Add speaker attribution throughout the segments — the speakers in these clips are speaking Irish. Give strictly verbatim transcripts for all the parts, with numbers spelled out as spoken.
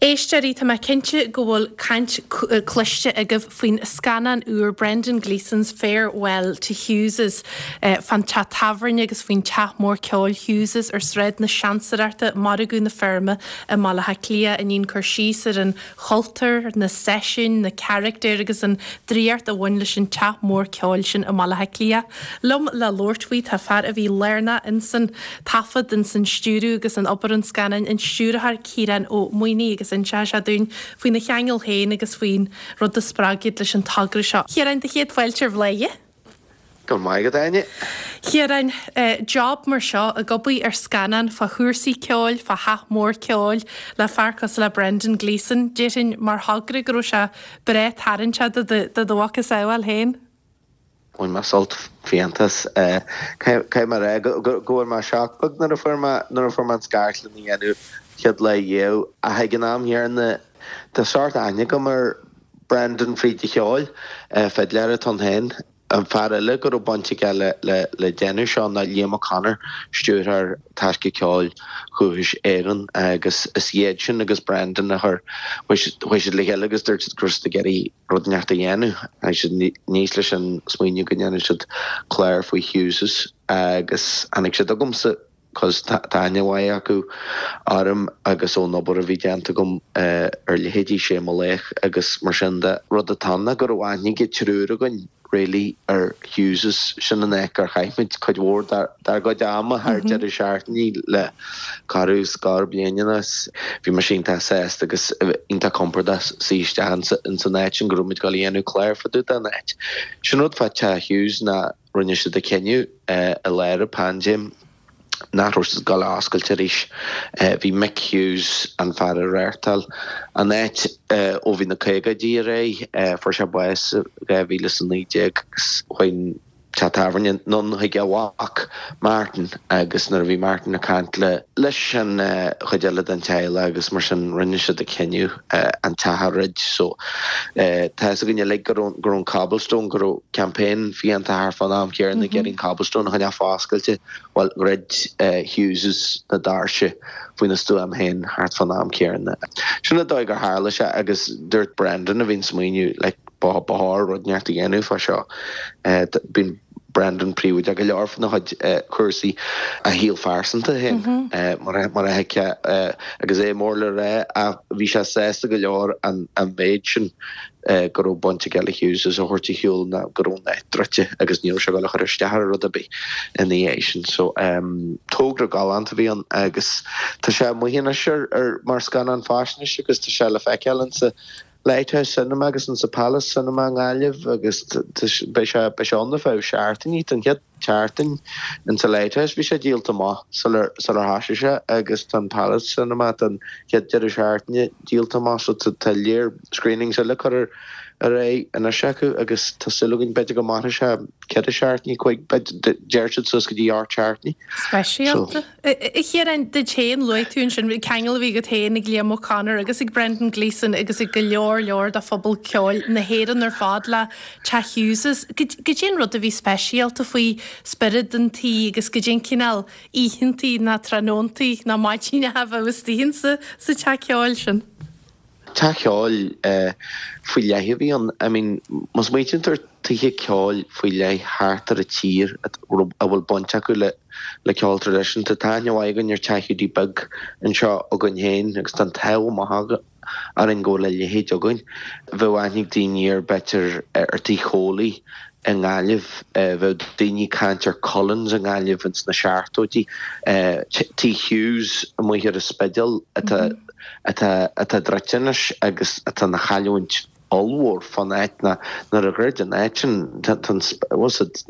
Speaker 1: Éisteoirí tá mé cinnte go bhfuil caint cloiste agaibh faoin scannán úr Brendan Gleeson's Farewell to Hughes's eh, fan teach tábhairne agus faoin teach mór ceoil Hughes's ar Sráid na Seansaireachta Margadh na Feirme i mBaile Átha Cliath a ndéanann cur síos ar an chultúr, na seisiúin, na carachtair agus an draíocht a bhain leis an teach mór ceoil sin i Mbaile Átha Cliath. Liom le labhairt faoi tá fear a bhí lárnach insan taifead insan stiúradh agus in obair an scannáin an stiúrthóir Ciarán Ó Maonaigh agus inseoidh sé dúinn faoina cheangal féin agus faoin rud a spreag iad leis an togra seo. Ciarán do chéad fáilte ar Bhladhaire.
Speaker 2: Go maith go daine.
Speaker 1: Ciarán eh, job mar seo ag obair ar scannán fá chúrsaí ceoil, fá theach mór ceoil le fear cosúil le Brendan Gleeson, Déarfainn mar thogra go raibh sé breá tarraingteach do do mhacasamhail féin.
Speaker 2: Bhain mé sult fiánta as Caithfidh mé rá go bhfuair mé shock beag nuair a fuair mé nuair a fuair mé an scairt lena dhéanamh chéad lá dhéag ach ag an am chéanna tá sórt aithne agam ar Brendan fríd an cheol fidléir atá ann féin. An fear eile go raibh baint aige le le le déanamh seo ná Liam O'Connor, stiúrthóir Taisce Ceoil Dhúchais Éireann agus is iad sin agus Brendan a chuir chuaigh siad le chéile agus dúirt siad go raibh siad ag iarraidh rud inteacht a dhéanamh. Tháinig siad aníos leis an smaoineamh go ndéanfaidh siad clár faoi Hughes's agus tháinig siad chugamsa cos tá aithne mhaith acu orm agus ón obair a bhí déanta agam ar leithéidí Sé Mo Laoch agus mar sin de. Rud atá ann ná go raibh aithne ag triúr againn really ar Hughes's sin an áit ar chaith muid cuid mhór dár gcuid ama thar deireadh seachtaine le corradh scór bliain anuas. Bhí mise iontach sásta agus iontach compordach suí isteach ins an áit sin go raibh muid ag dul a dhéanamh clár fá dtaobh den áit. Sin rud fá Teach Hughes ná rinne siad a cinneadh i lár an paindéim nach raibh siad ag dul a oscailt arís. Bhí Mick Hughes, an fear a reáchtáil an áit ó bhí na caogaidí ar aghaidh, fuair sé bás i dhá mhíle is a naoi déag agus chuaigh an teach tábhairne anonn chuig a mhac Martin agus nuair a bhí Martin ag caint le leis an chuid eile den teaghlach agus mar sin rinne siad a cinneadh an teach a dhruid so tá fhios againn uilig go raibh go raibh an Cobblestone go raibh campaign fiánta thart fán am céanna ag iarraidh an Cobblestone a choinneáil foscailte Bhuel, dhruid Hughes's na doirse faoina stuaim féin thart fán am céanna. Sin an dóigh gur tharla sé agus dúirt Brendan a bhí an smaoineamh like ba chóir rud inteacht a dhéanamh fá seo. Bíonn Brendan príobháideach go leor faoina chuid cúrsaí a shaol phearsanta féin mar a thuigfeá agus é mór le rá ach bhí sé sásta go leor an méid sin go raibh baint aige le Hughes' a thabhairt ar shiúl ná go raibh an áit druidte agus ní raibh sé ag dul a chur isteach ar rud ar bith ina dhiaidh sin. So togra galánta a bhí ann agus tá sé amuigh anois ar ar mar scannán faisnéise agus tá sé le feiceáil insa Lighthouse Cinema agus insa Palace Cinema i nGaillimh agus beidh sé beidh sé ann ar feadh seachtainí don chéad tseachtain insa Lighthouse bhí sé díolta amach sular sular thosaigh sé agus tá an Palace Cinema don chéad deireadh seachtaine díolta amach so tá léir screenings eile curtha ar aghaidh anois acu agus tá súil againn b'fhéidir go mairfidh sé ceithre seachtainí cúig deir siad suas go dtí ocht seachtainí.
Speaker 1: Speisialta. A Chiaráin, duit féin, luaigh tú ansin ceangal a bhí agat féin ag Liam O'Connor agus ag Brendan Gleeson agus ag go leor leor de phobal ceoil na hÉireann ar fad le Teach Hughes's. Goidé an rud a bhí speisialta faoi spiorad an tí agus goidé an cineál oícheantaí ná tráthnóntaí ná maidin a bheadh istigh insa sa teach ceoil sin?
Speaker 2: Teach ceoil faoi leith a bhí ann. I mean, má smaoitíonn tú ar tithe ceoil faoi leith thart ar an tír a bhfuil baint acu le le ceol traidisiúnta, tá aithne mhaith againn ar Teach Hiúdaí Beag anseo againn féin agus tá an t-ádh maith orainn go bhfuil a leithéid againn. Bheadh aithne ag daoine ar b'fhéidir ar Tigh Chóilí i nGaillimh, bheadh daoine ag caint ar Cullen's i nGaillimh ins na seachtóidí, Tigh Hughes amuigh ar an Spidéal atá atá atá druidte anois agus atá ina chailliúint ollmhór fán áit ná nuair a dhruid an áit sin tá an bhfuil siad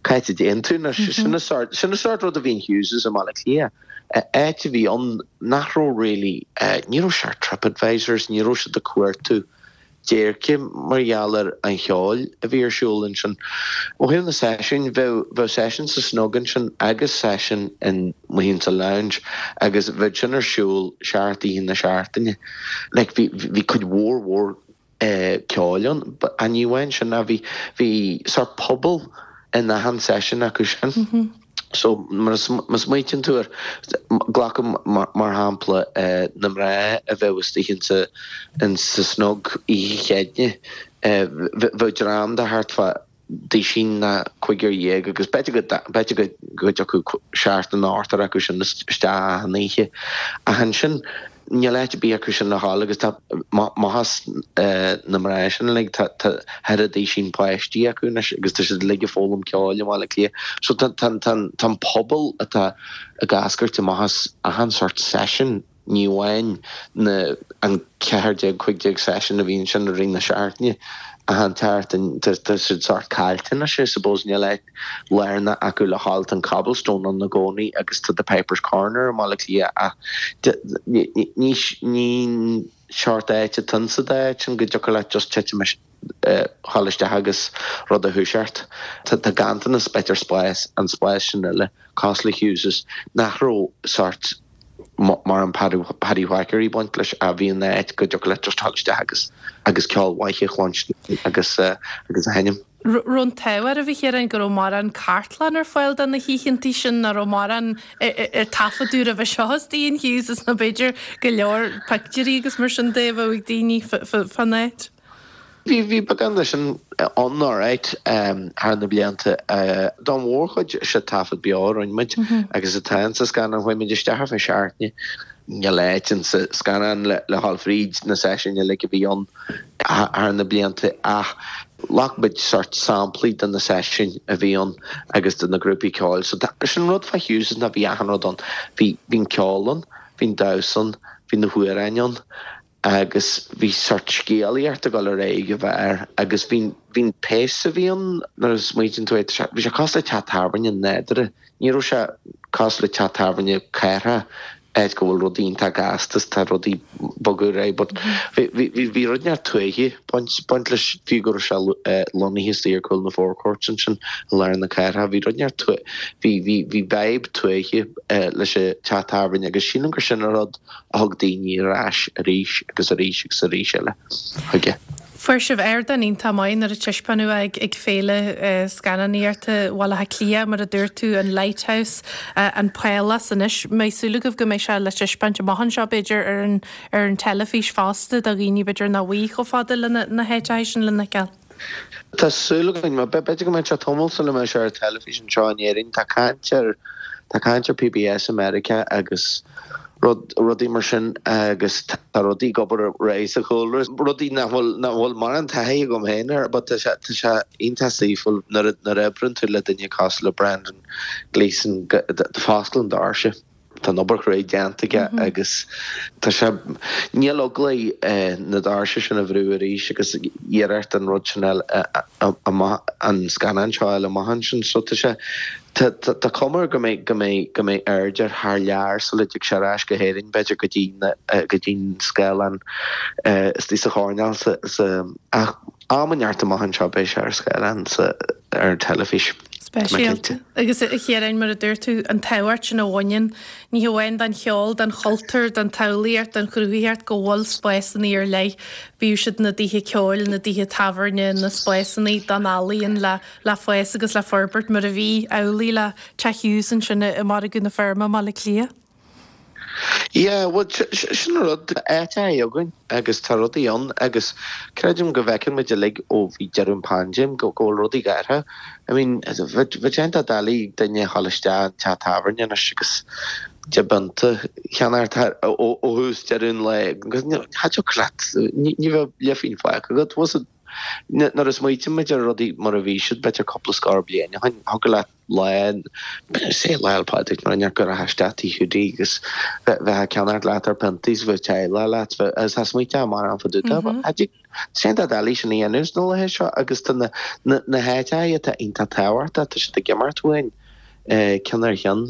Speaker 2: cá háit a dtéann tú anois sin an sórt sin an sórt rud a bhí in Hughes's i mBaile Átha Cliath áit a bhí ann nach raibh really ní raibh sé ar TripAdvisors ní raibh siad ag cuartú déirce mar gheall ar an cheol a bhí ar siúl ansin. Ó thaobh na seisiún, bheadh bheadh seisiún sa Snug ansin agus seisiún in amuigh insa Lounge agus bheadh sin ar siúl seacht oíche na seachtaine. Like bhí bhí cuid mhór mhór eh ceoil ann but ní amháin sin ach bhí bhí sórt pobal in achan seisiún acu sin. So má smaoitíonn tú air, glacaim mar shampla na mná a bheadh istigh insa insa Snug Oíche Chéadaoine, bheadh dream de thart fá duisín ná cúigear dhéag agus b'fhéidir go b'fhéidir go go dtiocfadh seachtar nó ochtar acu sin isteach achan oíche. Ach ansin níl áit ar bith acu sin le dhul agus tá maitheas na mná sin uilig, tá thar duisín páistí acu anois agus tá siad uilig ag foghlaim ceoil i mBaile Átha Cliath. So tá an pobal atá ag eascairt amach as achan sórt seisiún, ní amháin na an ceathair déag, cúig déag seisiún a bhíonn ansin i rith na seachtaine, achan tseachtain, tá siad sórt caillte anois, I suppose, níl áit lárnach acu le dhul, tá an Cobblestone ann i gcónaí agus tá The Piper's Corner i mBaile Átha Cliath ach ní ní seort áit atá insa dá áit sin go dtiocfadh leat just titim dhul isteach agus rud a thoiseacht. Tá ganntanas b'fhéidir spás, an spás sin eile, cosúil le Hughes's, nach raibh sórt mar an Paddy Whackery ag baint leis a bhí in áit go dtiocfadh leat just dhul isteach agus agus ceol mhaith a chluinstin agus agus a sheinm.
Speaker 1: Raibh an t-ádh oraibh, a Chiaráin, go raibh mórán cartlann ar fáil do na hoícheantaí sin, nach raibh mórán ar taifeadadh roimhe seo istigh in Hughes's nó b'fhéidir go leor pictiúirí agus mar sin de a bheadh ag daoine fán áit?
Speaker 2: Bhí, bhí beagán de sin ann alright thar na blianta. Don mhórchuid is é taifead beo a rinne muid agus atá insa scannán. Chuaigh muid isteach ar feadh seachtaine. Níl áit insa scannán le dhul fríd na seisiúin uilig a bhí ann thar na blianta ach ghlac muid sórt samplaí de na seisiúin a bhí ann agus de na grúpaí ceoil. So sin rud fá Hughes's ná bhí achan rud ann. Bhí, bhí an ceol ann, bhí an damhsa ann, bhí na hamhráin ann. agus bhí sórt scéalaíocht ag dul ar aghaidh ag an bheár agus bhí bhí an pace a bhí ann nuair a smaoitíonn tú air, bhí sé cosúil le teach tábhairne nádúrtha, ní raibh sé cosúil le teach tábhairne cathrach áit go bhfuil rudaí iontach gasta is tá rudaí ag bogadh ar aghaidh but bhí bhí bhí rud inteacht tuaithe baint baint leis fiú go raibh sé lonnaithe istigh ar chúl na Four Courts ansin i lár na cathrach bhí rud inteacht tuaithe bhí bhí bhí vibe tuaithe leis an teach tábhairne agus sílim gur sin an rud a thug daoine ar ais arís agus arís agus arís eile chuige.
Speaker 1: Fuair sibh ardán iontach maith nuair a taispeánadh é ag Féile Scannánaíochta Bhaile Átha Cliath, mar a dúirt tú, an Lighthouse, an Pálás anois. Mbeidh súil agaibh go mbeidh sé le taispeáint amach anseo, b'fhéidir, ar an ar an teilifís fosta do dhaoine b'fhéidir nach bhfuil chomh fada le na háiteacha sin lena fheiceáil?
Speaker 2: Tá súil againn. B'fhéidir go mbeidh sé tamall sula mbeidh sé ar teilifís anseo in Éirinn. Tá caint ar tá caint ar PBS i Meiriceá agus rud rudaí mar sin agus tá rudaí ag obair ar aghaidh sa chúlra, rudaí nach bhfuil nach bhfuil mórán taithí agam féin air but tá sé tá sé iontach saoithiúil nuair a nuair a oibreann tú le duine cosúil le Brendan Gleeson go fosclann doirse. Tá an obair chruaidh déanta aige agus tá sé, níl eagla air na doirse sin a bhrú arís agus iarracht an rud sin a fháil amach, an scannán seo a fháil amach ansin. So tá sé, tá cuma air go mbeidh, go mbeidh, go mbeidh aird air thar lear sula dtig sé ar ais go hÉirinn, b'fhéidir go dtí na, go dtí an scáileán istigh sa choirnéal sa, sa, ach am inteacht amach anseo beidh sé ar scáileán sa, ar an teilifís.
Speaker 1: Speisialta. Agus a Chiaráin, mar a dúirt tú, an tábhacht sin a bhaineann, ní hamháin don cheol, don chultúr, don tsamhlaíocht, don chruthaitheacht, go bhfuil spásanna ar leith, bíodh siad na dtithe ceoil, na dtithe tábhairne, na spásanna don ealaíon le le fás agus le forbairt mar a bhí amhlaidh le Teach Hughes ansin i Margadh na Feirme i mBaile Átha Cliath.
Speaker 2: Yeah, bhuel, sin an rud, áit againn agus tá rudaí ann agus creidim go bhfeiceann muid uilig ó bhí deireadh an paindéim go bhfuil rudaí ag athrú. I mean, bheadh sé iontach doiligh ag duine a dhul isteach in teach tábhairne anois agus deich bpionta a cheannacht ó thús deireadh an lae agus cha dtiocfadh leat, ní bheadh leathphingin fágtha agat. Nuair a smaoitíonn muid ar rudaí mar a bhí siad b'fhéidir cúpla scór bliain ó shin, thiocfadh leat lá, say Lá 'le Pádraig nó go rachfá isteach Tigh Hiúdaí agus bheith ag ceannacht leathuair piontaí is bheadh teaghlach leat agus tá smaointe mar an fá dtaobh de. Tá sé iontach doiligh sin a dhéanamh sna laethe seo agus tá na háiteacha atá iontach tábhachtach, tá siad ag imeacht uainn. ceann ar cheann.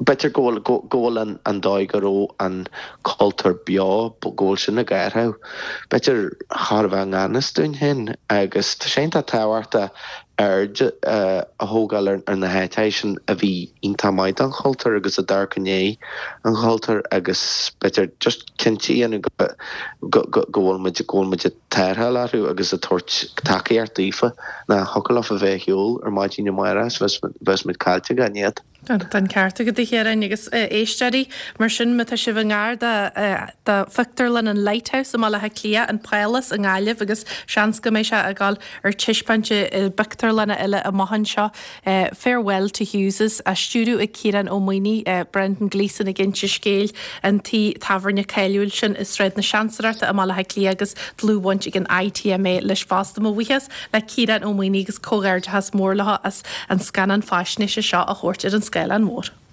Speaker 2: B'fhéidir go bhfuil, go bhfuil an, an dóigh go raibh an cultúr beo, go bhfuil sin ag athrú. B'fhéidir chóir a bheith i ngan fhios dúinn féin agus tá sé iontach tábhachtach aird a thógáil ar, ar na háiteacha sin a bhí iontach maith don chultúr agus a d'amharc i ndiaidh an chultúir agus b'fhéidir just cinnte a dhéanamh go, go, go, go bhfuil muid, go bhfuil muid ag tarrtháil orthu agus ag tabhairt tacaíocht daofa. Nach thiocfadh leofa bheith ar shiúl ar maidin amárach is bheas muid caillte gan iad.
Speaker 1: Tá an ceart agat a Chiaráin agus éisteoirí mar sin má tá sibh i ngar do phictiúrlann an Lighthouse i mBaile Átha Cliath, an Pálás i nGaillimh agus seans go mbeidh sé ag dul ar taispeáint i bpictiúrlanna eile amach anseo. Farewell to Hughes's á stiúradh ag Ciarán Ó Maonaigh, Brendan Gleeson ag inse scéil an tí tábhairne cáiliúil sin i Sráid na Seansaireachta i mBaile Átha Cliath agus dlúthbhaint ag an ITMA leis fosta. Mo bhuíochas le Ciarán Ó Maonaigh agus comhghairdeachas mór leo as an scannán faisnéise seo a thabhairt ar an scáileán mór.